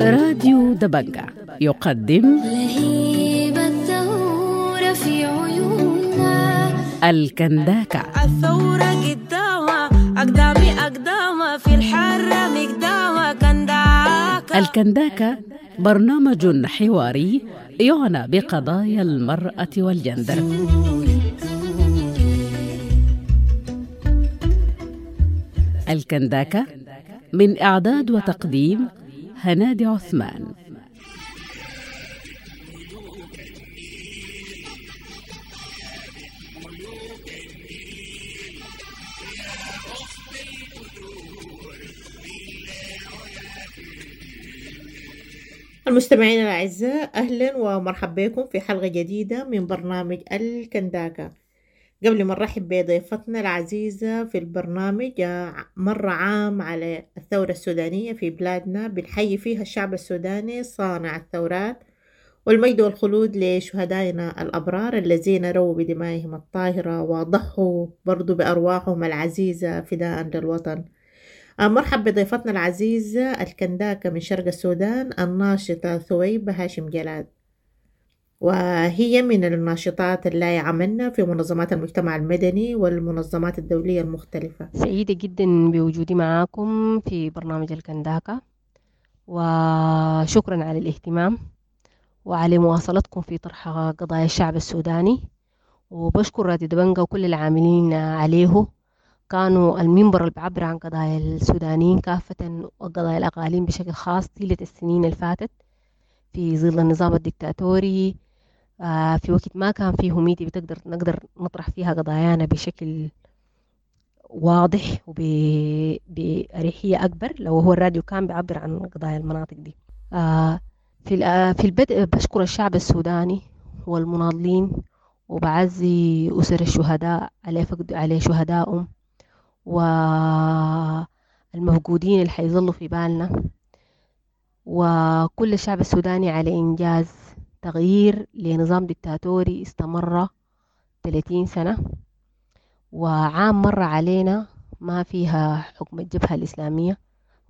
راديو دبنجة يقدم لهيب الثورة في عيوننا. الكنداكة. الثورة قدامها أقدامي أقدامها في الحرة مقدامها كنداكة. الكنداكة برنامج حواري يعنى بقضايا المرأة والجندر. الكنداكة من إعداد وتقديم هنادي عثمان. المستمعين الأعزاء، أهلا ومرحبا بكم في حلقة جديدة من برنامج الكنداكة. قبل ما نرحب بضيفتنا العزيزة في البرنامج، مر عام على الثورة السودانية في بلادنا، بنحيي فيها الشعب السوداني صانع الثورات، والمجد والخلود لشهدائنا الأبرار الذين رووا بدمائهم الطاهرة وضحوا برضو بأرواحهم العزيزة فداء للوطن. مرحب بضيفتنا العزيزة الكنداكة من شرق السودان، الناشطة ثويبة هاشم جلاد، وهي من الناشطات اللي عملنا في منظمات المجتمع المدني والمنظمات الدولية المختلفة. سعيدة جدا بوجودي معاكم في برنامج الكنداكة، وشكرا على الاهتمام وعلى مواصلتكم في طرح قضايا الشعب السوداني. وبشكر راديو دبنجة وكل العاملين عليه، كانوا المنبر اللي بيعبر عن قضايا السودانيين كافة وقضايا الأقاليم بشكل خاص طيلة السنين اللي فاتت في ظل النظام الدكتاتوري، في وقت ما كان فيه ميديا نقدر نطرح فيها قضايانا بشكل واضح وبأريحية أكبر لو هو الراديو كان بيعبر عن قضايا المناطق دي. في البدء بشكر الشعب السوداني والمناضلين، وبعزي أسر الشهداء على فقد على شهدائهم والمفقودين اللي حيظلوا في بالنا، وكل الشعب السوداني على إنجاز تغيير لنظام دكتاتوري استمر 30 سنة، وعام مر علينا ما فيها حكم الجبهة الإسلامية،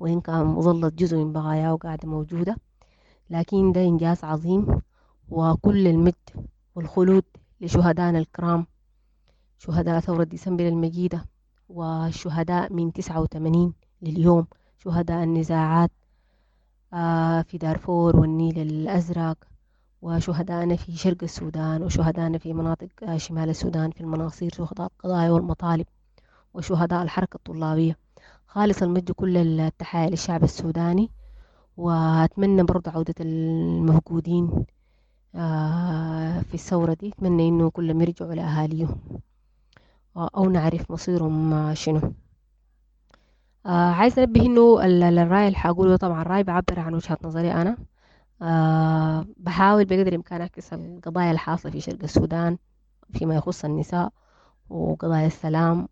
وإن كان ظلت جزء من بقاياه وقاعدة موجودة، لكن ده إنجاز عظيم. وكل المجد والخلود لشهدائنا الكرام، شهداء ثورة ديسمبر المجيدة، والشهداء من 89 لليوم، شهداء النزاعات في دارفور والنيل الأزرق، وشهدائنا في شرق السودان، وشهدائنا في مناطق شمال السودان في المناصير، شهداء القضايا والمطالب، وشهداء الحركة الطلابية. خالص المجد كل التحايا للشعب السوداني، وأتمنى برضو عودة المفقودين في الثورة دي. أتمنى إنه كلهم يرجعوا لأهاليهم أو نعرف مصيرهم شنو. عايز أنبه إنه الرأي اللي حقوله طبعا رأي بعبر عن وجهة نظري أنا. بحاول بقدر الإمكان أعكس القضايا الحاصلة في شرق السودان فيما يخص النساء وقضايا السلام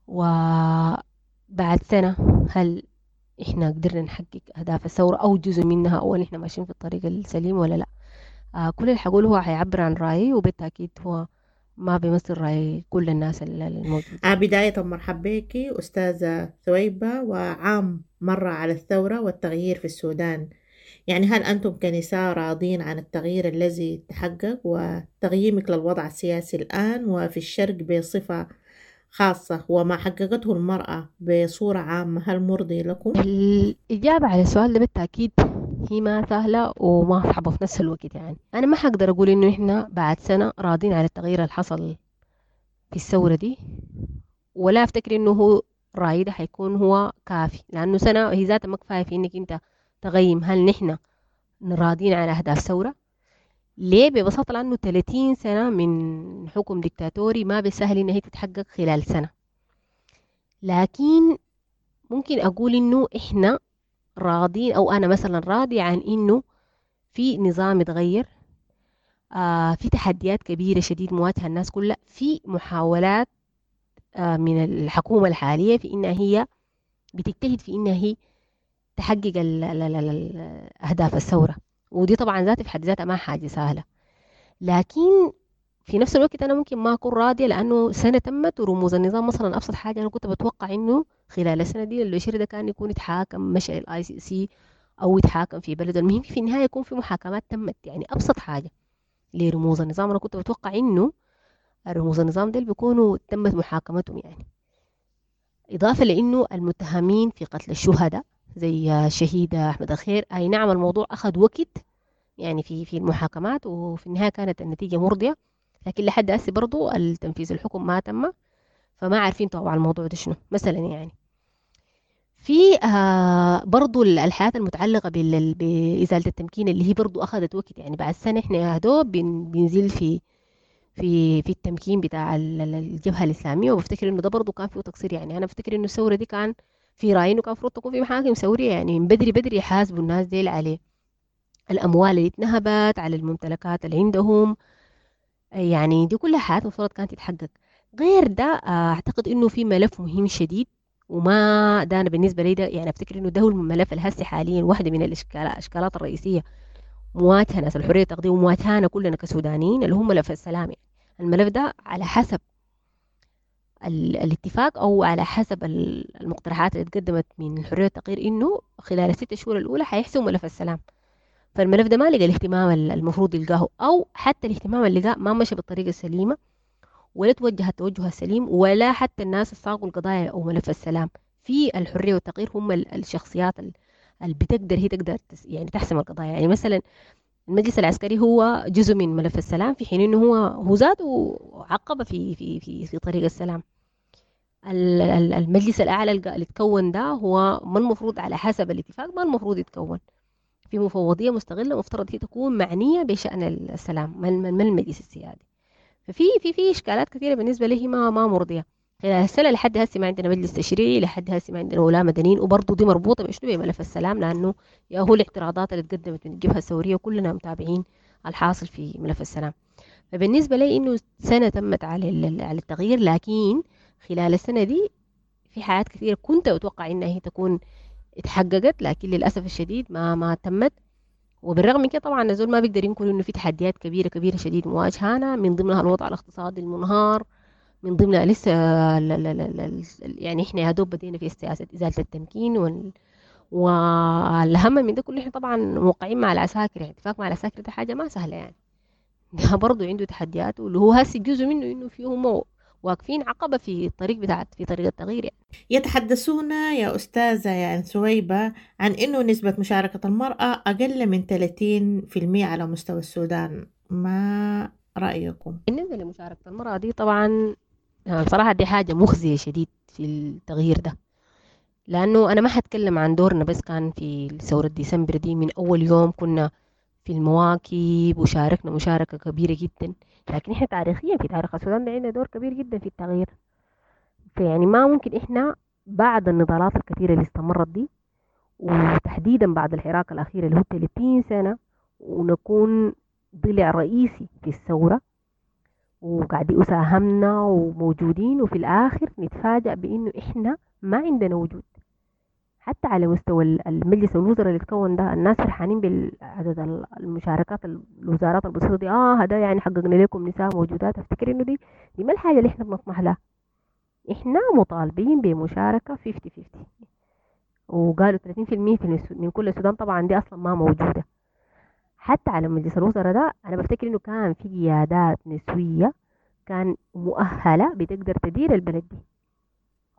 وبعد سنة هل إحنا قدرنا نحقق أهداف الثورة أو جزء منها، أو إحنا ماشيين في الطريق السليم ولا لا. كل اللي حقوله هو هيعبر عن رأيي، وبالتأكيد هو ما بيمثل رأي كل الناس الموجودين. بداية مرحبا بك أستاذة ثويبة، وعام مر على الثورة والتغيير في السودان، هل أنتم كنساء راضين عن التغيير الذي تحقق وتقييمك للوضع السياسي الآن وفي الشرق بصفة خاصة وما حققته المرأة بصورة عامة، هل مرضي لكم؟ الإجابة على السؤال ده بالتأكيد هي ما سهلة وما صعبة في نفس الوقت. أنا ما حقدر أقول إنه إحنا بعد سنة راضين على التغيير اللي حصل في الثورة دي، ولا أفتكر إنه هو رأيي ده حيكون هو كافي، لأنه سنة هي ذاتها ما كفاية في إنك أنت تقيم هل نحن راضين على أهداف ثورة. ليه؟ ببساطة لأنه 30 سنة من حكم ديكتاتوري ما بسهل إن هي تتحقق خلال سنة. لكن ممكن أقول إنه إحنا راضين، أو أنا مثلا راضي عن إنه في نظام اتغير، في تحديات كبيرة شديد مواجهة الناس كلها، في محاولات من الحكومة الحالية في إنها هي بتجتهد في إنها هي تحقق أهداف الثورة، ودي طبعا ذاتها في حد ذاتها ما حاجة سهلة. لكن في نفس الوقت أنا ممكن ما أكون راضية لأنه سنة تمت ورموز النظام مثلا أبسط حاجة أنا كنت بتوقع إنه خلال السنة دي البشير ده كان يكون يتحاكم، مشى ال ICC أو يتحاكم في بلده، المهم في النهاية يكون في محاكمات تمت. يعني أبسط حاجة لرموز النظام أنا كنت بتوقع إنه رموز النظام ديل بيكونوا تمت محاكمتهم. يعني إضافة لأنه المتهمين في قتل الشهداء زي الشهيد أحمد الخير، أي نعم الموضوع أخذ وقت يعني في المحاكمات، وفي النهاية كانت النتيجة مرضية، لكن لحد هسه برضو التنفيذ الحكم ما تم، فما عارفين طبعا الموضوع ده شنو مثلا. يعني في برضو الحالات المتعلقة بإزالة التمكين اللي هي برضو أخذت وقت، يعني بعد سنة إحنا يا دوب بنزيل في في في التمكين بتاع الجبهة الإسلامية، وبفتكر إنه ده برضو كان فيه تقصير. يعني أنا بفتكر إنه الثورة دي كان في رأيي إنه كان المفروض تكون في محاكم ثورية، يعني من بدري بدري يحاسبوا الناس ديل عليه الأموال اللي اتنهبت، على الممتلكات اللي عندهم، يعني دي كلها حاجات المفروض كانت تتحقق. غير ده أعتقد إنه في ملف مهم شديد، وما ده أنا بالنسبة لي ده يعني أفتكر إنه ده هو الملف الهسي حاليا، واحدة من الإشكالات الرئيسية مواجهة ناس الحرية التقديم ومواجهانا كلنا كسودانيين، اللي هو ملف السلام. يعني الملف ده على حسب الاتفاق أو على حسب المقترحات اللي اتقدمت من الحرية والتغيير إنه خلال ال6 شهور الأولى حيحسموا ملف السلام. فالملف ده ما لقى الاهتمام المفروض يلقاه، أو حتى الاهتمام اللي لقاه ما مشى بالطريقة السليمة، ولا توجه التوجه السليم، ولا حتى الناس الصاغوا القضايا أو ملف السلام في الحرية والتغيير هم الشخصيات اللي بتقدر هي تقدر يعني تحسم القضايا. يعني مثلا المجلس العسكري هو جزء من ملف السلام، في حين انه هو ذاته عقبه في في في في طريق السلام. المجلس الاعلى اللي تكون ده هو ما المفروض على حسب الاتفاق ما المفروض يتكون في مفوضيه مستغله مفترض هي تكون معنيه بشان السلام، ما المجلس السيادي. ففي في في اشكالات كثيره بالنسبه لي ما مرضيه. خلال السنه لحد هسه ما عندنا مجلس تشريعي، لحد هسه ما عندنا ولاة مدنيين، وبرضه دي مربوطه بشنو؟ بملف السلام، لانه يا هو الاعتراضات اللي تقدمت من الجبهه الثوريه وكلنا متابعين الحاصل في ملف السلام. فبالنسبه لي انه سنه تمت على التغيير، لكن خلال السنه دي في حاجات كثيره كنت اتوقع انها هي تكون اتحققت، لكن للاسف الشديد ما تمت. وبالرغم من كده طبعا الزول ما بيقدر ينكر انه في تحديات كبيره كبيره شديد مواجهانا، من ضمنها الوضع الاقتصادي المنهار، من ضمنها لسه يعني احنا يا دوب بدينا في سياسه ازاله التمكين، والاهم من ده كله احنا طبعا موقعين مع العساكر، يعني اتفاق مع العساكر ده حاجه ما سهله يعني، ده برضه عنده تحدياته اللي هو هسه جزء منه انه فيهم واقفين عقبه في الطريق بتاعت في طريق التغيير يعني. يتحدثون يا أستاذة يا ثويبة عن إنه نسبة مشاركة المرأة أقل من 30% على مستوى السودان، ما رأيكم؟ بالنسبة لمشاركة المرأة دي طبعا بصراحة دي حاجة مخزية شديد في التغيير ده، لأنه أنا ما حتكلم عن دورنا بس كان في ثورة ديسمبر دي، من أول يوم كنا في المواكب وشاركنا مشاركة كبيرة جدا، لكن إحنا تاريخيا في تاريخ السودان ده عندنا دور كبير جدا في التغيير. فيعني ما ممكن إحنا بعد النضالات الكثيرة اللي استمرت دي، وتحديدا بعد الحراك الأخير اللي هو 30 سنة، ونكون ضلع رئيسي في الثورة وقاعدين وساهمنا وموجودين، وفي الآخر نتفاجأ بإنه إحنا ما عندنا وجود حتى على مستوى المجلس الوزراء اللي تكون ده. الناس فرحانين بالعدد المشاركات الوزارات البسيطة دي، هذا يعني حققنا لكم نساء موجودات. افتكر انه دي ما الحاجة اللي احنا بنطمح لها. احنا مطالبين بمشاركة 50-50، وقالوا 30% من كل السودان، طبعا دي اصلا ما موجودة. حتى على مجلس الوزراء ده انا بفتكر انه كان في قيادات نسوية كان مؤهلة بتقدر تدير البلد دي.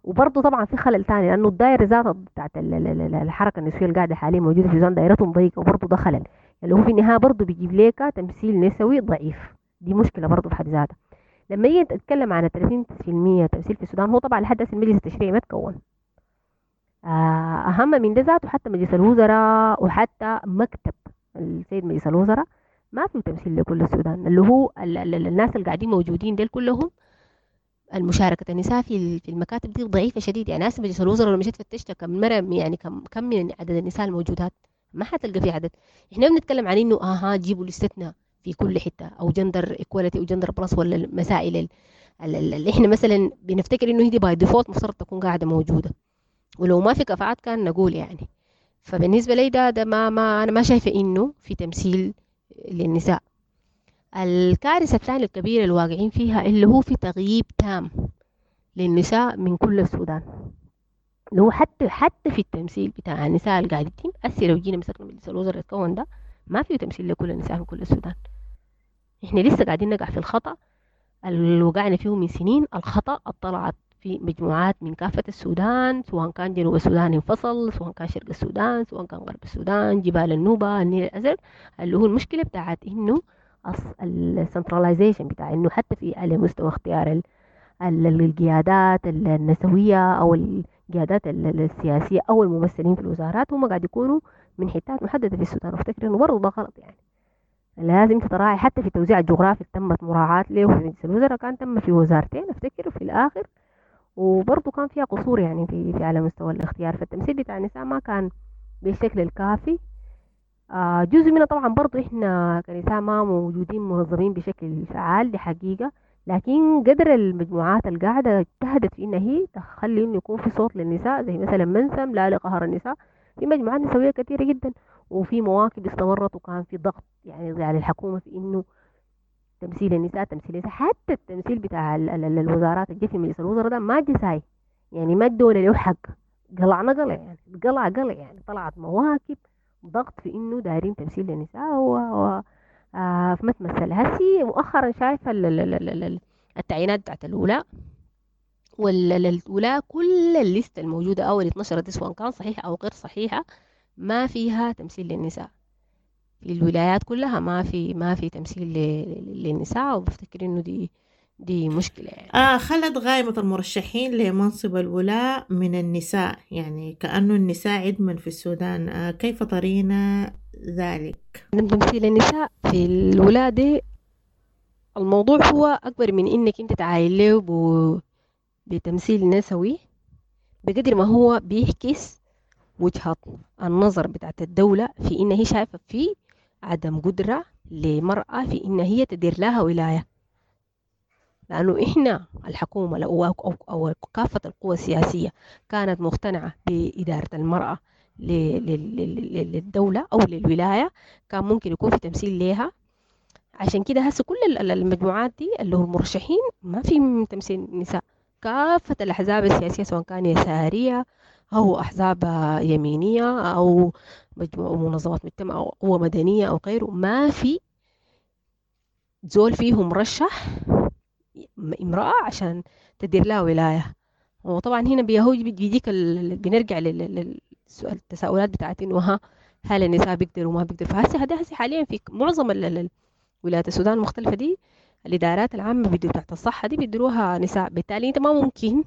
وبرضه طبعا في خلل تاني، لانه الدائره ذاتها بتاعت الحركه النسويه اللي قاعده حاليا موجوده في السودان دائرتهم ضيقه، وبرضه ده خلل اللي هو في النهايه برضه بيجيب لك تمثيل نسوي ضعيف، دي مشكله برضه في حد ذاتها. لما يجي نتكلم عن 30% تمثيل في السودان، هو طبعا لحد هسه المجلس التشريعي ما تكون. اهم من ده ذاته حتى مجلس الوزراء وحتى مكتب السيد مجلس الوزراء ما في تمثيل لكل السودان، اللي هو الناس اللي قاعدين موجودين ديل كلهم المشاركة النساء في المكاتب دي ضعيفة شديد. يعني ناس مجلس الوزراء لو مشيت فتشت كم مرة يعني كم من عدد النساء الموجودات ما حتلقى في عدد. احنا بنتكلم عن انه جيبوا لستنا في كل حتة، او gender equality او gender plus، ولا المسائل اللي احنا مثلا بنفتكر انه هي by default مفترض تكون قاعدة موجودة، ولو ما في كفاءات كان نقول يعني. فبالنسبة لي ده ما انا ما شايفة انه في تمثيل للنساء. الكارثة الثانية الكبيرة اللي واقعين فيها اللي هو في تغييب تام للنساء من كل السودان، اللي هو حتى في التمثيل بتاع النساء اللي قاعد يتم هسه. لو جينا مسكنا مجلس الوزراء اللي اتكون ده ما فيه تمثيل لكل النساء من كل السودان. احنا لسه قاعدين نقع في الخطأ اللي وقعنا فيه من سنين، الخطأ طلعت في مجموعات من كافة السودان، سواء كان جنوب السودان انفصل، سواء كان شرق السودان، سواء كان غرب السودان، جبال النوبة، النيل الأزرق، اللي هو المشكلة بتاعت إنه ال centralization بتاع إنه حتى في على مستوى اختيار القيادات النسوية أو القيادات السياسية أو الممثلين في الوزارات، هم قاعد يكونوا من حتات محددة في السودان. وافتكر إنه برضه ده غلط، يعني لازم تراعي حتى في التوزيع الجغرافي تمت مراعاة له في مجلس الوزراء، كان تم في وزارتين افتكر في الآخر، وبرضه كان فيها قصور يعني في على مستوى الاختيار. فالتمثيل بتاع النساء ما كان بالشكل الكافي. جزء منه طبعا برضه احنا كنساء ما موجودين منظمين بشكل فعال، دي حقيقة، لكن قدر المجموعات القاعدة اجتهدت في إنها هي تخلي إنه يكون في صوت للنساء، زي مثلا منسم لا لقهر النساء، في مجموعات نسوية كثيرة جدا، وفي مواكب استمرت، وكان في ضغط يعني على الحكومة في إنه تمثيل النساء، تمثيل النساء. حتى التمثيل بتاع الوزارات الجي في مجلس الوزراء ده ما جه ساي، يعني ما الدولة له حق، قلعنا قلع يعني، قلع قلع يعني، طلعت مواكب ضغط في إنه دايرين تمثيل للنساء و ما تمثل. هسي مؤخرا شايفة التعيينات بتاعت الولاء والولاء، كل الليستة الموجودة أو اللي اتنشرت سواء كان صحيحة أو غير صحيحة ما فيها تمثيل للنساء في الولايات كلها، ما في تمثيل للنساء، وبفتكر إنه دي مشكلة يعني. خلت قائمة المرشحين لمنصب الولاء من النساء، يعني كأنه النساء عدما في السودان، كيف ترين ذلك؟ تمثيل النساء في الولاء دي الموضوع هو أكبر من إنك أنت تعاين له بتمثيل نسوي، بقدر ما هو بيعكس وجهة النظر بتاعت الدولة في إن هي شايفة في عدم قدرة لمرأة في إن هي تدير لها ولاية. لأنه إحنا الحكومة أو كافة القوى السياسية كانت مقتنعة بإدارة المرأة للدولة أو للولاية، كان ممكن يكون في تمثيل لها. عشان كده هسه كل المجموعات دي اللي هو المرشحين ما في تمثيل نساء. كافة الأحزاب السياسية سواء كان يسارية أو أحزاب يمينية أو مجموعة منظمات مجتمع أو قوة مدنية أو غيره، ما في زول فيهم مرشح امرأة عشان تدير لها ولاية. وطبعا هنا بيجيك بنرجع للسؤال، التساؤلات بتاعت إنه هل النساء بيقدروا وما بيقدروا. فهسه هذا هسه حاليا في معظم ولايات السودان المختلفة دي الإدارات العامة بتاعت الصحة دي بيديروها نساء. بالتالي أنت ما ممكن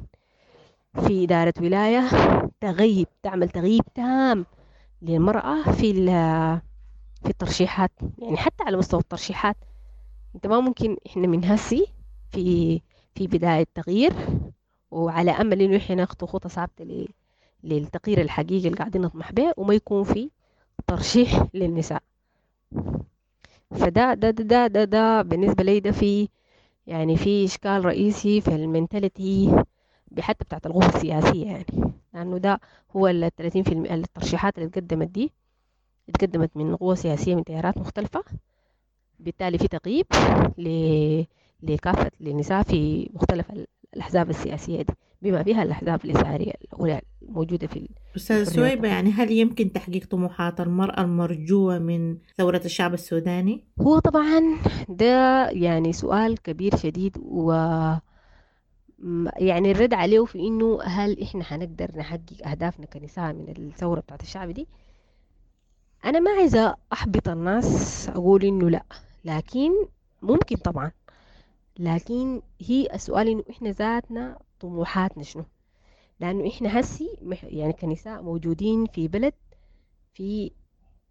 في إدارة ولاية تغيب، تعمل تغييب تام للمرأة في الترشيحات، يعني حتى على مستوى الترشيحات أنت ما ممكن. إحنا من هسي في بداية تغيير، وعلى أمل إنه إحنا ناخد خطة ثابتة للتغيير الحقيقي اللي قاعدين نطمح به، وما يكون في ترشيح للنساء. فده ده ده ده ده بالنسبة لي ده في يعني في إشكال رئيسي في المنتاليتي حتى بتاعت القوى السياسية، يعني لأنه ده هو ال 30% الترشيحات اللي اتقدمت دي اتقدمت من قوى سياسية من تيارات مختلفة، بالتالي في تغييب لكافة للنساء في مختلف الأحزاب السياسية دي بما فيها الأحزاب اليسارية الموجودة في. أستاذة سويبة، يعني هل يمكن تحقيق طموحات المرأة المرجوة من ثورة الشعب السوداني؟ هو طبعا ده يعني سؤال كبير شديد، و يعني الرد عليه في إنه هل إحنا هنقدر نحقق أهدافنا كنساء من الثورة بتاعت الشعب دي؟ أنا ما عايزة أحبط الناس أقول إنه لا، لكن ممكن طبعا، لكن هي السؤال إنه إحنا ذاتنا طموحاتنا شنو؟ لأنه إحنا هسي يعني كنساء موجودين في بلد في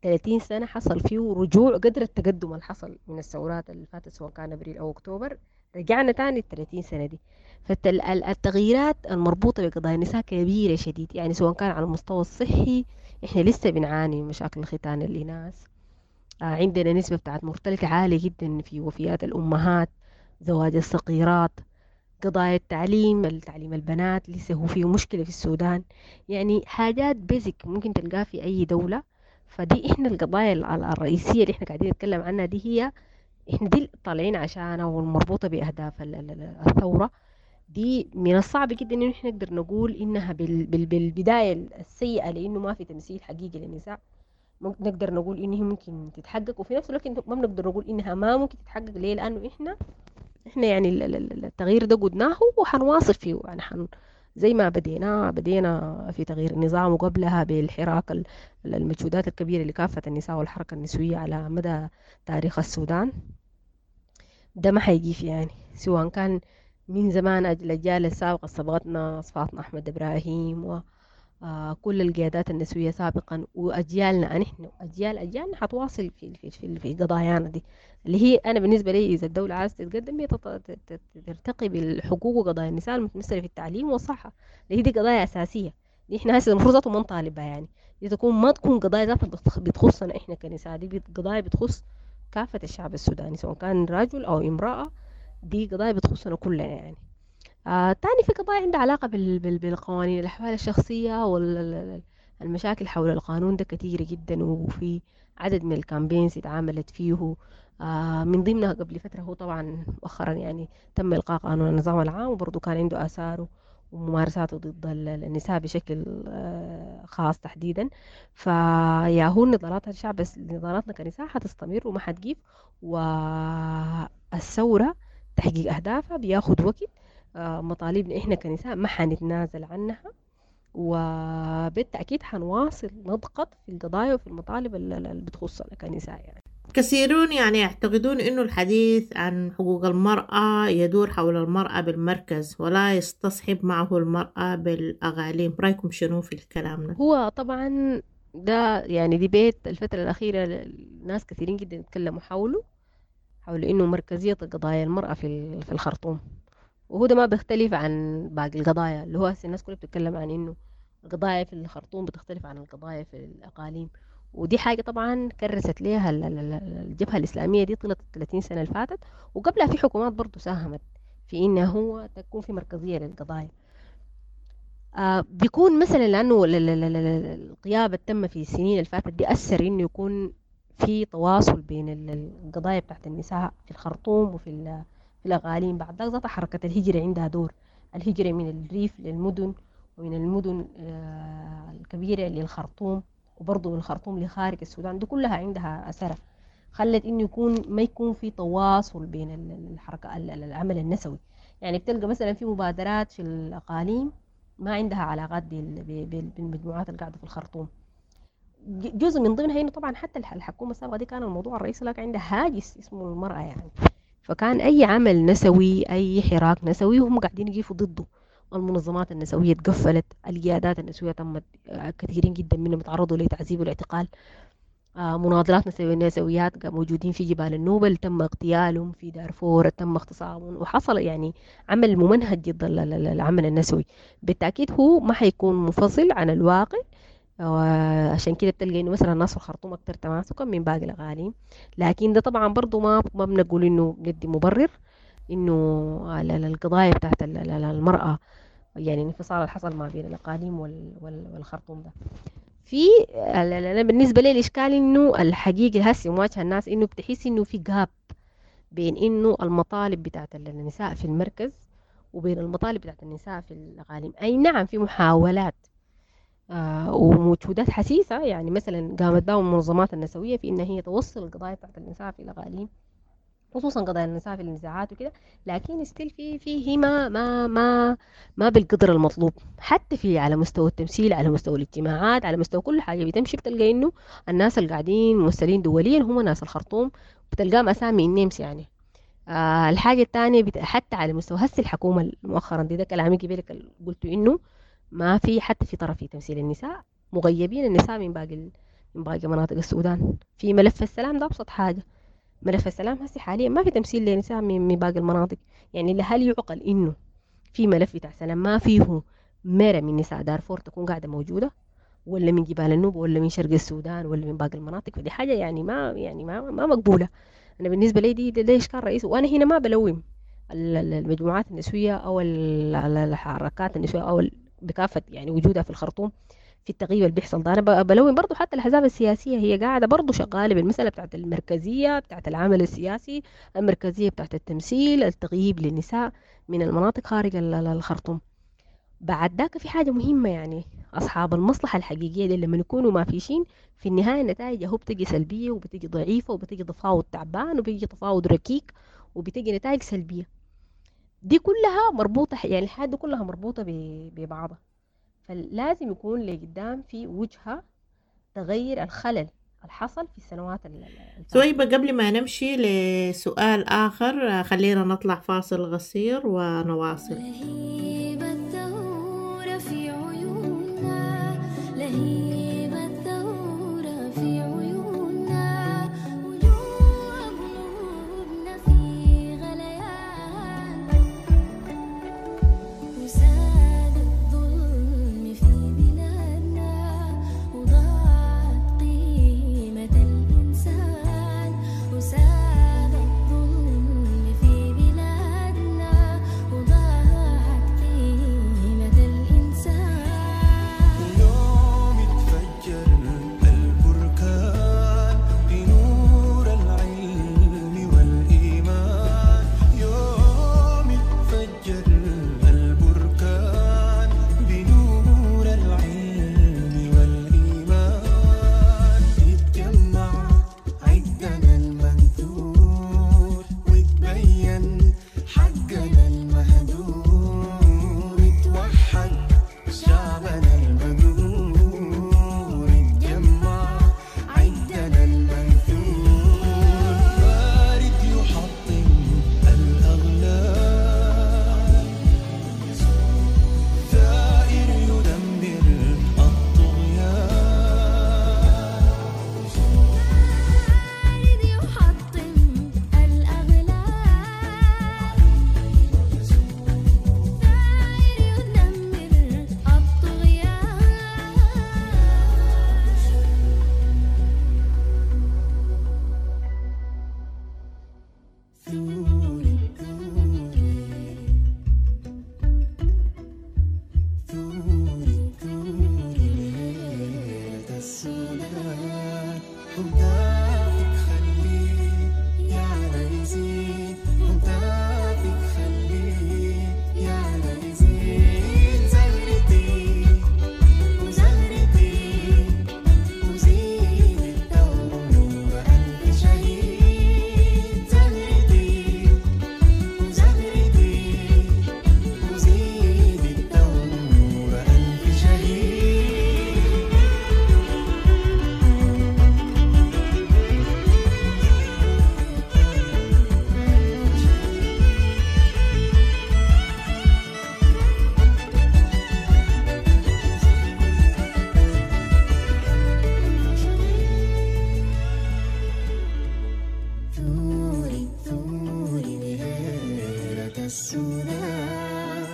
30 سنة حصل فيه رجوع قدر التقدم اللي حصل من الثورات اللي فاتت سواء كان أبريل أو أكتوبر، رجعنا تاني 30 سنة دي. فالتغييرات المربوطة بقضايا النساء كبيرة شديد، يعني سواء كان على المستوى الصحي إحنا لسه بنعاني من مشاكل الختان الإناث، عندنا نسبة بتاعت mortality عالية جدا في وفيات الأمهات، زواج الصغيرات، قضايا التعليم، التعليم البنات لسه هو فيه مشكلة في السودان، يعني حاجات basic ممكن تلقاها في أي دولة. فدي إحنا القضايا الرئيسية اللي إحنا قاعدين نتكلم عنها دي هي احنا دي طالعين عشانها والمربوطة بأهداف الثورة دي، من الصعب جدا إنه احنا نقدر نقول إنها بالبداية السيئة، لأنه ما في تمثيل حقيقي للنساء، ممكن نقدر نقول إنه ممكن تتحقق، وفي نفس الوقت ما بنقدر نقول إنها ما ممكن تتحقق. ليه؟ لأنه إحنا يعني التغيير ده قدناه وحنواصل فيه، يعني زي ما بدينا في تغيير النظام، وقبلها بالحراك المجهودات الكبيرة اللي كافة النساء والحركة النسوية على مدى تاريخ السودان، ده ما حيجيف يعني، سواء كان من زمان الأجيال السابقة سبقتنا فاطمة أحمد إبراهيم و كل القيادات النسوية سابقا، وأجيالنا نحن أجيالنا حتواصل في قضايانا دي، اللي هي أنا بالنسبة لي إذا الدولة عايزة تتقدم هي ترتقي بالحقوق وقضايا النساء المتمثلة في التعليم والصحة، اللي هي دي قضايا أساسية، دي إحنا هسه المفروض ذاته ما نطالب بها، يعني دي تكون ما تكون قضايا ذاتها بتخصنا إحنا كنساء، دي قضايا بتخص كافة الشعب السوداني سواء كان رجل أو امرأة، دي قضايا بتخصنا كلنا يعني. تاني في قضايا عندها علاقة بالقوانين الأحوال الشخصية والمشاكل حول القانون ده كثيرة جدا، وفي عدد من الكامبينز اتعاملت فيه، من ضمنها قبل فترة هو طبعا مؤخرا يعني تم إلقاء قانون النظام العام، وبرضه كان عنده آثاره وممارساته ضد النساء بشكل خاص تحديدا. فيا هو نضالات الشعب، بس نضالاتنا كنساء حتستمر وما حتجيب، والثورة تحقيق أهدافها بياخد وقت، مطالبنا إحنا كنساء ما حنتنازل عنها، وبالتأكيد حنواصل نضغط في القضايا وفي المطالب اللي بتخصنا كنساء يعني. كثيرون يعني يعتقدون أنه الحديث عن حقوق المرأة يدور حول المرأة بالمركز ولا يستصحب معه المرأة بالأغاليم، رأيكم شنو في الكلام ده؟ هو طبعا ده يعني ديبيت الفترة الأخيرة ناس كثيرين جدا يتكلموا حول إنه مركزية قضايا المرأة في الخرطوم، وهو ده ما بيختلف عن باقي القضايا، اللي هو هسه الناس كلها بتتكلم عن إنه القضايا في الخرطوم بتختلف عن القضايا في الأقاليم، ودي حاجة طبعا كرست ليها الجبهة الإسلامية دي طيلة 30 سنة اللي فاتت، وقبلها في حكومات برضو ساهمت في إنه هو تكون في مركزية للقضايا. بيكون مثلا لأنه الغياب تم في السنين اللي فاتت دي أثر إنه يكون في تواصل بين القضايا بتاعت النساء في الخرطوم وفي الأقاليم. بعد ذاك حركة الهجرة عندها دور، الهجرة من الريف للمدن ومن المدن الكبيرة للخرطوم، وبرضه من الخرطوم لخارج السودان، دي كلها عندها أثرها، خلت إنه يكون ما يكون في تواصل بين الحركة العمل النسوي. يعني بتلقى مثلا في مبادرات في الأقاليم ما عندها علاقات بالمجموعات اللي قاعدة في الخرطوم. جزء من ضمنها إنه طبعا حتى الحكومة السابقة دي كان الموضوع الرئيسي لك عندها هاجس اسمه المرأة يعني، فكان أي عمل نسوي أي حراك نسوي هم قاعدين يقفوا ضده. المنظمات النسوية تقفلت، القيادات النسوية تمت كثيرين جدا منهم تعرضوا لتعذيب والاعتقال، مناضلات نسويات موجودين في جبال النوبل تم اغتيالهم، في دارفور تم اغتصابهم، وحصل يعني عمل ممنهج ضد العمل النسوي. بالتأكيد هو ما حيكون منفصل عن الواقع، عشان كده بتلقى انه مثلا الناس في الخرطوم اكثر تماسكا من باقي الاقاليم، لكن ده طبعا برضو ما بنقول انه ندي مبرر انه القضايا بتاعت المرأة، يعني الانفصال اللي حصل ما بين الاقاليم والخرطوم ده. في انا بالنسبه لي الاشكال انه الحقيقه هسه مواجهه الناس انه بتحس انه في جاب بين انه المطالب بتاعت النساء في المركز وبين المطالب بتاعت النساء في الاقاليم. اي نعم في محاولات ومجهودات حسيسة، يعني مثلا قامت بها المنظمات النسوية في إن هي توصل القضايا بتاعت النساء في الأقاليم، خصوصا قضايا النساء في النزاعات وكده، لكن ستيل في ما ما ما ما بالقدر المطلوب، حتى في على مستوى التمثيل، على مستوى الاجتماعات، على مستوى كل حاجة بتمشي بتلقى إنه الناس اللي قاعدين ممثلين دوليا هم ناس الخرطوم، بتلقاهم أسامي النمس يعني. الحاجة الثانية حتى على مستوى هسه الحكومة مؤخرا دي، ده كلامي قبلك قلت إنه ما في حتى في طرف في تمثيل النساء، مغيبين النساء من باقي مناطق السودان. في ملف السلام ده أبسط حاجة، ملف السلام هسه حاليا ما في تمثيل للنساء من باقي المناطق. يعني هل يعقل إنه في ملف بتاع سلام ما فيه مرة من نساء دارفور تكون قاعدة موجودة، ولا من جبال النوبة، ولا من شرق السودان، ولا من باقي المناطق؟ فدي حاجة يعني ما مقبولة. أنا بالنسبة لي دي ده إشكال رئيسي، وأنا هنا ما بلوم المجموعات النسوية أو الحركات النسوية أو بكافة يعني وجودها في الخرطوم في التغيير اللي بيحصل ده. أنا بلون برضو حتى الأحزاب السياسية هي قاعدة برضو شغالة بالمسألة بتاعت المركزية بتاعت العمل السياسي، المركزية بتاعت التمثيل، التغييب للنساء من المناطق خارج الخرطوم. بعد ذاك في حاجة مهمة، يعني أصحاب المصلحة الحقيقية دي لما يكونوا ما فيشين في النهاية النتائج هو بتجي سلبية وبتجي ضعيفة وبتجي تفاوض تعبان وبيجي تفاوض ركيك وبتجي نتائج سلبية. دي كلها مربوطة، يعني الحاجات دي كلها مربوطة ببعضها. فلازم يكون لقدام في وجهة تغير الخلل الحصل في السنوات الفاتت. ثويبة، قبل ما نمشي لسؤال آخر خلينا نطلع فاصل قصير ونواصل. لهيب الثورة في عيوننا، لهيب الثورة في عيوننا، وجوه قلوبنا في غليان، وساد الظلم في بلادنا، وضاعت قيمة الإنسان، وساد الظلم في بلادنا، وضاعت قيمة الإنسان. يوم اتفجر البركان بنور العلم والإيمان، يوم اتفجر البركان بنور العلم والإيمان، اتجمع عدنا المنثور وتبين حقنا المهدور، اتوحد شعبنا المجهور، اتجمع عدنا المنثور، بارد يحطم الأغلال، ثائر يدمر الطغيان، بارد يحطم الأغلال، ثائر يدمر الطغيان. ثوري ثوري ثوري ثوري ليلة السودان، هتافك خليه يعلى يزيد، هتافك خليه يعلى يزيد، زهرتي وزهرتي وزيد الثورة ألف شهيد، زهرتي وزهرتي وزيد الثورة ألف شهيد. ثوري ثوري مهيرة السودان،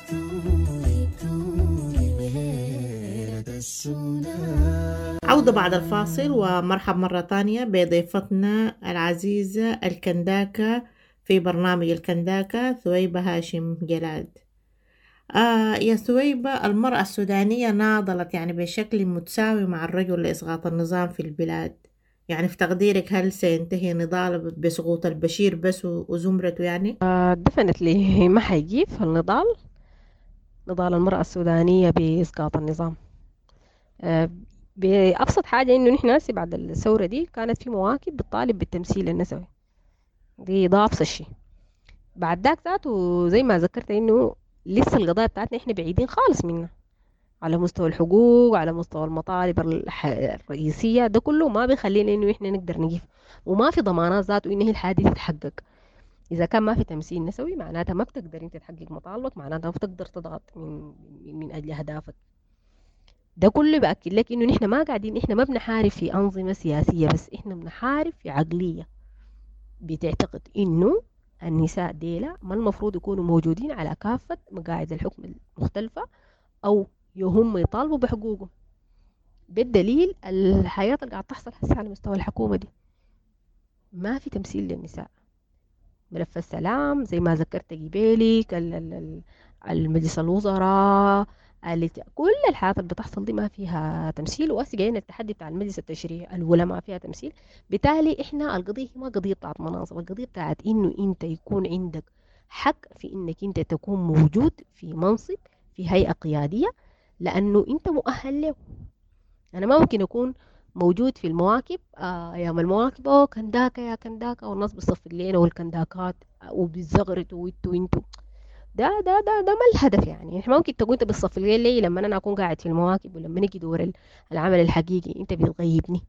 ثوري ثوري مهيرة السودان. عودة بعد الفاصل، ومرحب مرة تانية بضيفتنا العزيزة الكنداكة في برنامج الكنداكة ثويبة هاشم جلاد. يا ثويبة، المرأة السودانية ناضلت يعني بشكل متساوي مع الرجل لإسقاط النظام في البلاد، يعني في تقديرك هل سينتهي نضال بسقوط البشير بس وزمرته يعني؟ definitely ما حيجيب النضال، نضال المرأة السودانية بإسقاط النظام. بأبسط حاجة إنه نحن هسي بعد الثورة دي كانت في مواكب بتطالب بالتمثيل النسوي، دي ده أبسط شيء. بعد ذاك ذاته زي ما ذكرت إنه لسه القضايا بتاعتنا إحنا بعيدين خالص منها على مستوى الحقوق، على مستوى المطالب الرئيسية، ده كله ما بيخلينا إنه إحنا نقدر نقف، وما في ضمانات ذاته إن هي الحاجة دي تتحقق. إذا كان ما في تمثيل نسوي معناتها ما بتقدر أنت تحقق مطالبك، معناتها ما بتقدر تضغط من أجل أهدافك. ده كله بأكد لك إنه نحن ما قاعدين، إحنا ما بنحارب في أنظمة سياسية بس، إحنا بنحارب في عقلية بتعتقد إنه النساء ديلا ما المفروض يكونوا موجودين على كافة مقاعد الحكم المختلفة، أو هم يطالبوا بحقوقهم. بالدليل الحياة اللي قاعد تحصل هسه على مستوى الحكومة دي ما في تمثيل للنساء. ملف السلام زي ما ذكرت قبالك، المجلس الوزراء، كل الحاجات اللي بتحصل دي ما فيها تمثيل. وهسه جايين التحدي بتاع المجلس التشريعي الولا ما فيها تمثيل. بالتالي احنا القضية ما قضية بتاعت مناصب، القضية بتاعت انه انت يكون عندك حق في انك انت تكون موجود في منصب في هيئة قيادية لانه انت مؤهل له. انا ما ممكن اكون موجود في المواكب ايام المواكب او كنداكا يا كنداكا والناس بتصفق لنا والكنداكات وبيزغرتوا وانتوا وانتوا ده ده ده ده ما الهدف. يعني احنا ممكن تقول انت بتصفق لي ليه لما انا اكون قاعد في المواكب، ولما نيجي دور العمل الحقيقي انت بتغيبني؟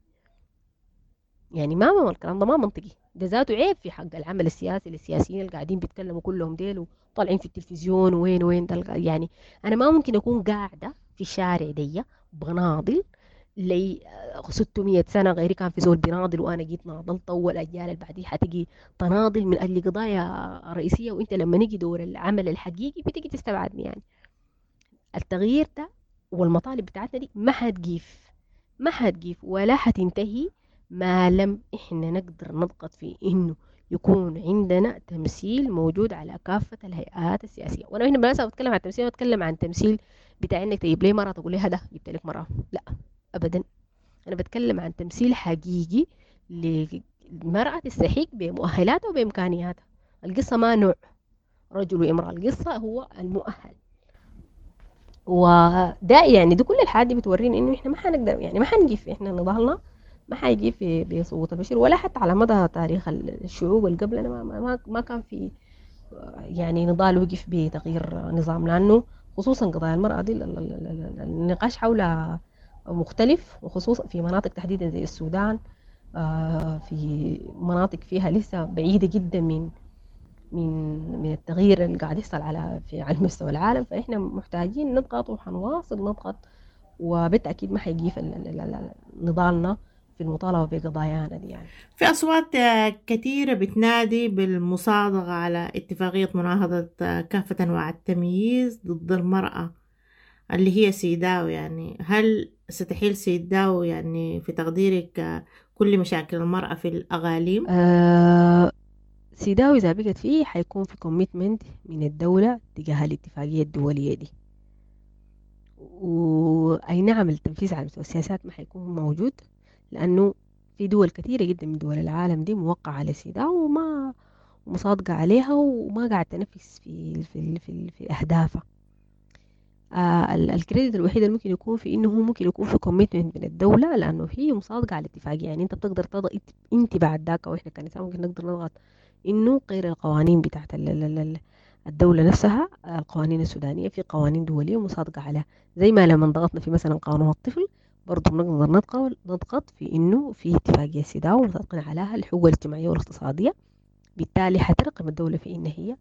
يعني ما الكلام ده ما منطقي، ده ذاته عيب في حق العمل السياسي للسياسيين اللي قاعدين بيتكلموا كلهم ديل وطالعين في التلفزيون وين وين ده. يعني انا ما ممكن اكون قاعدة في الشارع دي بناضل لي 600 سنة غيري كان في زول بيناضل وانا جيت ناضلت، والاجيال اللي بعدي حتجي تناضل من اجل قضايا رئيسية، وانت لما نيجي دور العمل الحقيقي بتيجي تستبعدني. يعني التغيير ده والمطالب بتاعتنا دي ما حتجيف، ما حتجيف ولا حتنتهي ما لم احنا نقدر نضغط في انه يكون عندنا تمثيل موجود على كافة الهيئات السياسية. وانا هنا بالمناسبة بتكلم عن التمثيل، بتكلم عن تمثيل بتاع انك تجيب لي مرة تقول لي هذا جبت لك مرة، لا ابدا. انا بتكلم عن تمثيل حقيقي للمرأة تستحق بمؤهلاتها وبامكانياتها. القصة ما نوع رجل وامرأة، القصة هو المؤهل. وده يعني دي كل الحاجات دي بتورينا انه احنا ما حنقدر، يعني ما حنجيف، احنا نضالنا ما حيجي في بصوت البشير ولا حتى على مدى تاريخ الشعوب اللي قبلنا ما كان في يعني نضال وقف بتغيير نظام، لانه خصوصا قضايا المرأة دي النقاش حولها مختلف، وخصوصا في مناطق تحديدا زي السودان، في مناطق فيها لسه بعيدة جدا من من من التغيير اللي قاعد يحصل على في على مستوى العالم. فإحنا محتاجين نضغط وحنواصل نضغط، وبالتأكيد ما حيجي نضالنا في المطالبة بقضايانا دي. يعني في أصوات كثيرة بتنادي بالمصادقة على اتفاقية مناهضة كافة أنواع التمييز ضد المرأة اللي هي سيداو. يعني هل ستحل سيداو يعني في تقديرك كل مشاكل المرأة في الأقاليم؟ سيداو إذا بقت فيه حيكون في commitment من الدولة تجاه الاتفاقية الدولية دي، وأي نعم التنفيذ على مستوى السياسات ما حيكون موجود، لأنه في دول كثيرة جدا من دول العالم دي موقعة على سيداو وما مصادقة عليها وما قاعد تنفذ في في في, في أهدافها. ال credit الوحيد اللي ممكن يكون في انه هو ممكن يكون في commitment من الدولة، لانه هي مصادقه على الاتفاقية. يعني انت بتقدر تضغط انت بعد ذاك، او احنا كنساء ممكن نقدر نضغط انه غير القوانين بتاعت الدولة نفسها، القوانين السودانية في قوانين دولية مصادقه عليها، زي ما لما ضغطنا في مثلا قانون الطفل برضه بنقدر نضغط في انه في اتفاقية سيداو مصادقين عليها الحقوق الاجتماعية والاقتصادية، بالتالي حترقم الدولة في ان هي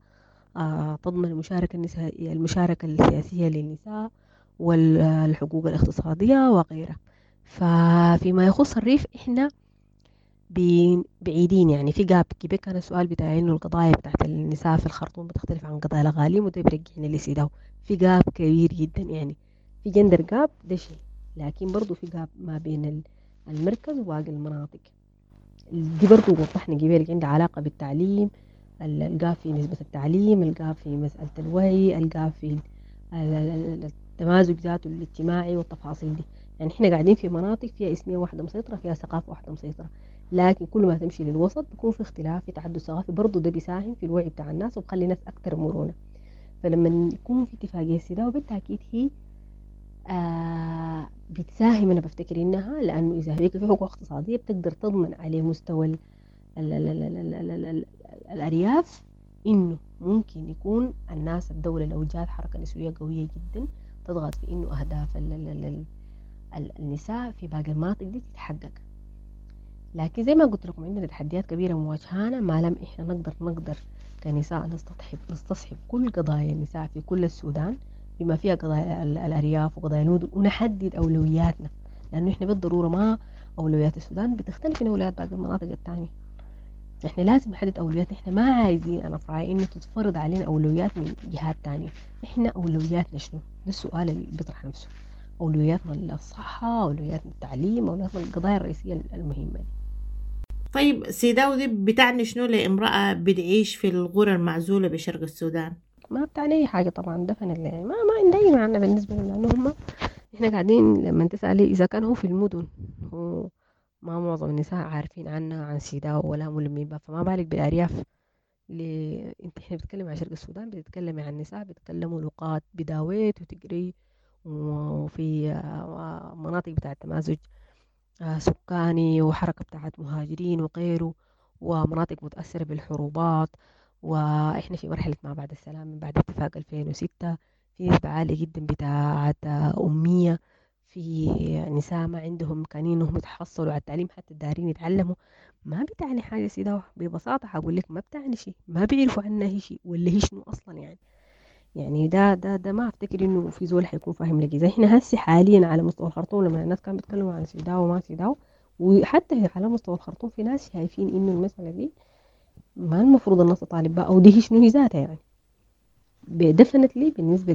تضمن المشاركة النسائية، المشاركة السياسية للنساء والحقوق الاقتصادية وغيرها. ففيما يخص الريف احنا بعيدين، يعني في gap كبير. كان السؤال بتاع انه القضايا بتاعت النساء في الخرطوم بتختلف عن قضايا الاقاليم، وده بيرجعنا لسيداو. في gap كبير جدا، يعني في gender gap ده شيء، لكن برضو في gap ما بين المركز وباقي المناطق دي. برضو وضحنا قبل عندها علاقة بالتعليم، ال gap في نسبة التعليم، ال gap في مسألة الوعي، ال gap في التمازج ذاته الاجتماعي والتفاصيل دي. يعني احنا قاعدين في مناطق فيها إثنية واحدة مسيطرة، فيها ثقافة واحدة مسيطرة، لكن كل ما تمشي للوسط بيكون في اختلاف، في تعدد ثقافي، برضو ده بيساهم في الوعي بتاع الناس وبخلي الناس أكثر مرونة. فلما يكون في اتفاقية سيداو بالتأكيد هي بتساهم، أنا بفتكر إنها، لأنه إذا هيك في حقوق اقتصادية بتقدر تضمن على مستوى ال ال ال ال ال ال ال الأرياف إنه ممكن يكون الناس، الدولة لو جات حركة نسوية قوية جدا تضغط في إنه أهداف ال ال ال ال النساء في باقي المناطق دي تتحقق. لكن زي ما قلت لكم عندنا تحديات كبيرة مواجهانا، ما لم إحنا نقدر كنساء نستصحب كل قضايا النساء في كل السودان بما فيها قضايا الأرياف وقضايا المدن، ونحدد أولوياتنا، لأنه إحنا بالضرورة ما أولويات السودان بتختلف من أولويات باقي المناطق الثانية. احنا لازم نحدد اولوياتنا، احنا ما عايزين، انا في رايي انه تتفرض علينا اولويات من جهات تانية. احنا اولوياتنا شنو؟ ده السؤال اللي بيطرح نفسه. اولوياتنا الصحة، اولوياتنا التعليم، اولوياتنا القضايا الرئيسية المهمة دي. طيب سيداو دي بتعني شنو لامرأة بتعيش في القرى المعزولة بشرق السودان؟ ما بتعني اي حاجة طبعا، definitely يعني ما عندها اي معنى بالنسبة لهم، لانه هم احنا قاعدين لما تسألي اذا كان هو في المدن هو ما معظم النساء عارفين عنها عن سيداو ولا ملمين بها، فما بالك بالارياف. انت احنا بنتكلم عن شرق السودان، بتتكلمي عن نساء بيتكلموا لغات بداويت وتقري، وفي مناطق بتاعت تمازج سكاني وحركة بتاعت مهاجرين وغيره، ومناطق متأثرة بالحروبات، وإحنا في مرحلة ما بعد السلام من بعد اتفاق 2006، في نسبة عالية جدا بتاعت أمية، في نساء ما عندهم إمكانية إنهم يتحصلوا على التعليم حتى الدارين يتعلموا. ما بتعني حاجة سيداو، ببساطة حقول لك ما بتعني شيء، ما بيعرفوا عنها هي شيء ولا هي شنو أصلا يعني. يعني ده ده ده ما افتكر انه في زول حيكون فاهم لك. اذا احنا هسي حاليا على مستوى الخرطوم لما الناس كانوا بيتكلموا عن سيداو وما سيداو، وحتى على مستوى الخرطوم في ناس شايفين انه المسألة دي ما المفروض الناس تطالب بها او دي هي شنو هي ذاتها يعني. definitely بالنسبة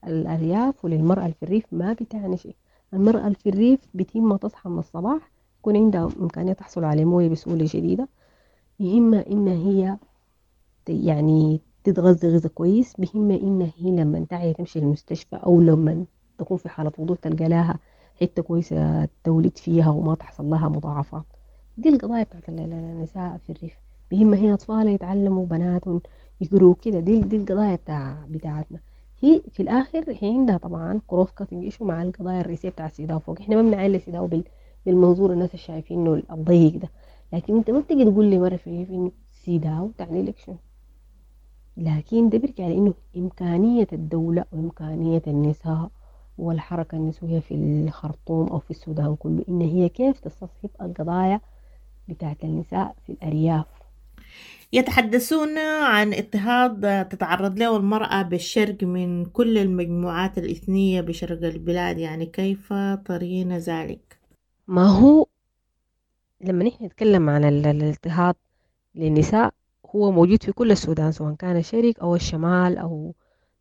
للأرياف وللمرأة في الريف ما بتعني شيء. المرأة في الريف بتم تصحى من الصباح يكون عندها إمكانية تحصل على موية بسهولة شديدة، يهمها إن هي يعني تتغذى غذاء كويس، بهمها إن هي لما تعي تمشي المستشفى أو لما تكون في حالة وضوء تلقى لها حتة كويسة تولد فيها وما تحصل لها مضاعفات. دي القضايا بتاعت النساء في الريف، بهمها هي أطفالها يتعلموا، بناتهم يقروا كده. دي القضايا بتاعتنا. هي في الآخر هي عندها طبعا cross cutting issue مع القضايا الرئيسية بتاع سيداو فوق. احنا ما بنعين لسيداو بالمنظور الناس اللي شايفينه الضيق ده، لكن انت ما بتيجي تقول لي مرة في الريف انه سيداو تعني لك شنو، لكن ده بيرجع لانه امكانية الدولة وامكانية النساء والحركة النسوية في الخرطوم او في السودان كله ان هي كيف تستصحب القضايا بتاعت النساء في الارياف. يتحدثون عن اضطهاد تتعرض له المرأة بالشرق من كل المجموعات الإثنية بشرق البلاد، يعني كيف ترين ذلك؟ ما هو لما نحن نتكلم عن الاضطهاد للنساء هو موجود في كل السودان، سواء كان الشرق أو الشمال أو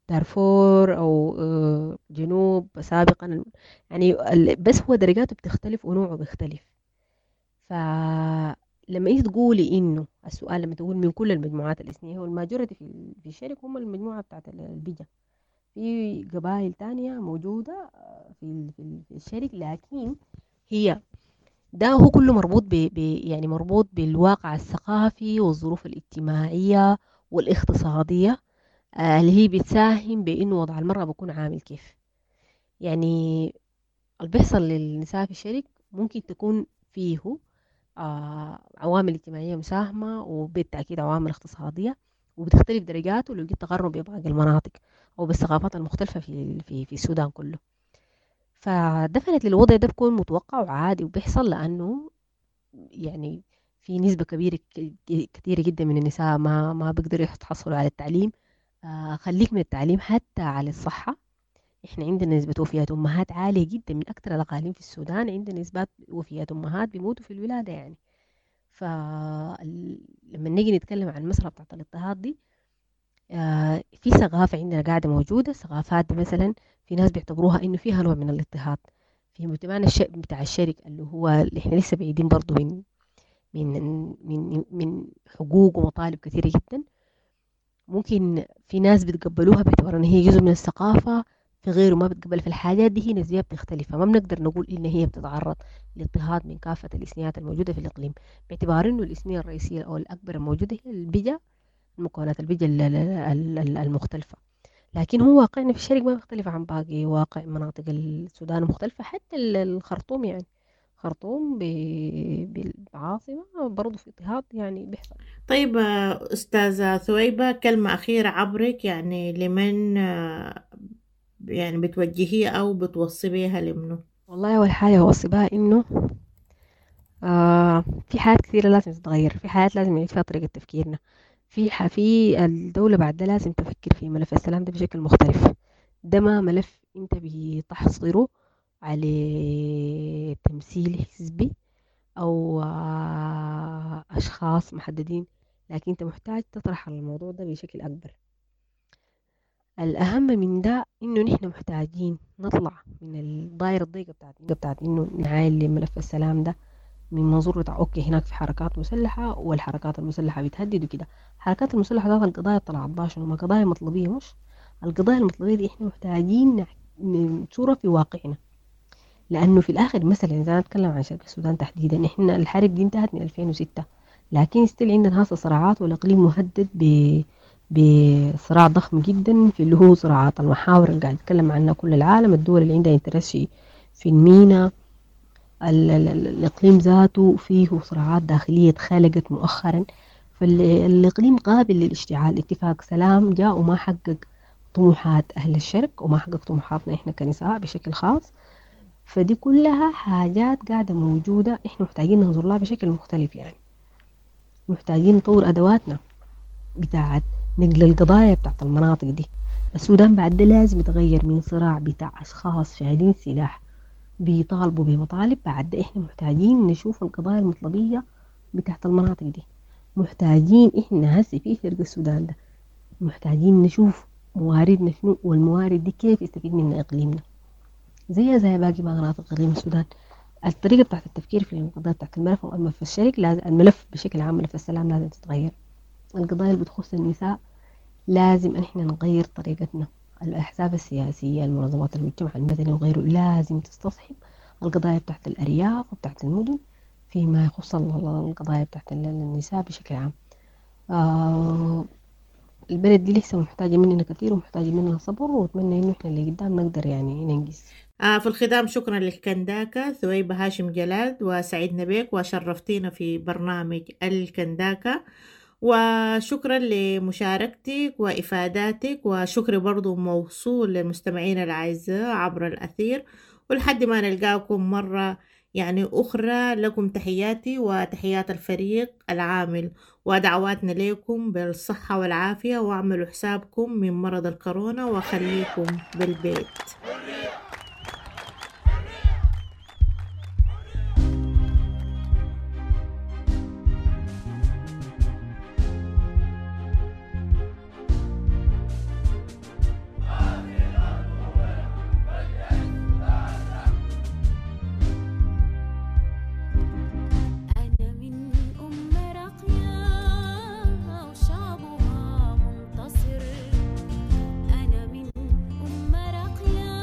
دارفور أو جنوب سابقا يعني، بس هو درجاته بتختلف ونوعه بيختلف. فلما انت تقولي انه السؤال لما تقول من كل المجموعات الاثنيه، هو ال majority في الشرق هم المجموعه بتاعت البجا، في قبائل تانية موجوده في الشرق، لكن هي ده هو كله مربوط ب يعني مربوط بالواقع الثقافي والظروف الاجتماعيه والاقتصاديه اللي هي بتساهم بانه وضع المراه بيكون عامل كيف. يعني اللي بيحصل للنساء في الشرق ممكن تكون فيه عوامل اجتماعية مساهمة وبالتأكيد عوامل اقتصادية، وبتختلف درجاته لو جيت تقارنه بباقي المناطق أو بالثقافات المختلفة في في في السودان كله. فدفنت للوضع ده بيكون متوقع وعادي وبيحصل، لأنه يعني في نسبة كبيرة كثيرة جدا من النساء ما بيقدروا يحصلوا على التعليم. خليك من التعليم حتى على الصحة، احنا عندنا نسبة وفيات أمهات عالية جدا، من أكثر الأقاليم في السودان عندنا نسبات وفيات أمهات بيموتوا في الولادة يعني. فلما نيجي نتكلم عن المسألة بتاعت الاضطهاد دي، في ثقافة عندنا قاعدة موجودة، ثقافات دي مثلا في ناس بيعتبروها إنه فيها نوع من الاضطهاد في مجتمعنا بتاع الشرق، اللي هو اللي احنا لسه بعيدين برضو من من من من حقوق ومطالب كثيرة جدا. ممكن في ناس بيتقبلوها باعتبار ان هي جزء من الثقافة، في غيره ما بتقبل. في الحاجات دي هي نسبية بتختلف، فما بنقدر نقول إن هي بتتعرض لاضطهاد من كافة الإثنيات الموجودة في الإقليم، باعتبار إنه الإثنية الرئيسية أو الأكبر الموجودة هي البجا، المكونات البجا المختلفة. لكن هو واقعنا في الشرق ما بيختلف عن باقي واقع مناطق السودان المختلفة، حتى الخرطوم يعني خرطوم بالعاصمة برضو في اضطهاد يعني بيحصل. طيب أستاذة ثويبة، كلمة أخيرة عبرك يعني لمن يعني بتوجهيه أو بتوصي بيها لمنه؟ والله أول حاجة أوصي بها إنه في حاجات كثيرة لازم تتغير، في حاجات لازم نعيد فيها طريقة تفكيرنا، في الدولة بعد ده لازم تفكر في ملف السلام ده بشكل مختلف. ده ما ملف أنت بتحصره على تمثيل حزبي أو أشخاص محددين، لكن أنت محتاج تطرح الموضوع ده بشكل أكبر. الأهم من ده إنه نحن محتاجين نطلع من الدائرة الضيقة بتاعت إنه نعاين لملف السلام ده من منظور بتاع okay هناك في حركات مسلحة والحركات المسلحة بتهدد وكده. الحركات المسلحة ذات القضايا طلعت باشن وما قضايا مطلبية، مش القضايا المطلبية دي احنا محتاجين نصورها في واقعنا، لأنه في الآخر مثلا إذا أنا أتكلم عن شرق السودان تحديدا، إحنا الحرب دي انتهت من 2006، لكن still عندنا هسه صراعات، والإقليم مهدد بصراع ضخم جدا في اللي هو صراعات المحاور اللي قاعد يتكلم عنها كل العالم، الدول اللي عندها interest في المينا، الإقليم ذاته فيه صراعات داخلية اتخلقت مؤخرا، فالإقليم قابل للاشتعال. اتفاق سلام جاء وما حقق طموحات أهل الشرق وما حقق طموحاتنا إحنا كنساء بشكل خاص. فدي كلها حاجات قاعدة موجودة، إحنا محتاجين ننظر لها بشكل مختلف. يعني محتاجين نطور أدواتنا بتاعت نقل القضايا بتاعت المناطق دي. السودان بعد ده لازم يتغير من صراع بتاع أشخاص شايلين سلاح بيطالبوا بمطالب، بعد ده إحنا محتاجين نشوف القضايا المطلبية بتاعت المناطق دي. محتاجين إحنا هسي في شرق السودان ده محتاجين نشوف مواردنا شنو، والموارد دي كيف يستفيد منها إقليمنا زي باقي مناطق إقليم السودان. الطريقة بتاعت التفكير في القضايا بتاعت الملف والملف الشرق لازم، الملف بشكل عام ملف السلام لازم تتغير. القضايا اللي بتخص النساء لازم إحنا نغير طريقتنا. الأحزاب السياسية، المنظمات المجتمع المدني وغيره لازم تستصحب القضايا بتاعت الأرياف وبتاعت المدن فيما يخص القضايا بتاعت النساء بشكل عام. البلد دي لسه محتاجة مننا كثير ومحتاجة مننا صبر، وأتمنى إنه إحنا اللي قدام نقدر يعني ننجز. في الختام شكرا للكنداكة ثويبة هاشم جلال، وسعدنا بك وشرفتينا في برنامج الكنداكة، وشكرا لمشاركتك وإفاداتك، وشكري برضو موصول للمستمعين الأعزاء عبر الأثير. ولحد ما نلقاكم مرة يعني أخرى، لكم تحياتي وتحيات الفريق العامل، ودعواتنا لكم بالصحة والعافية، واعملوا حسابكم من مرض الكورونا وخليكم بالبيت. أنا من أم راقية وشعبها منتصر، أنا من أم راقية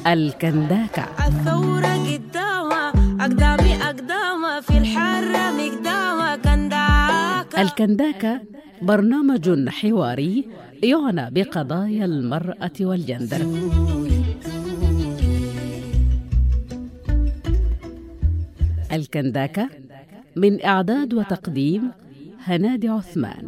الكنداكة. الثورة قدامها أقدامي أقدامها في الحارة مقدامها كنداكة. الكنداكة برنامج حواري يعنى بقضايا المرأة والجندر. الكنداكة من إعداد وتقديم هنادي عثمان.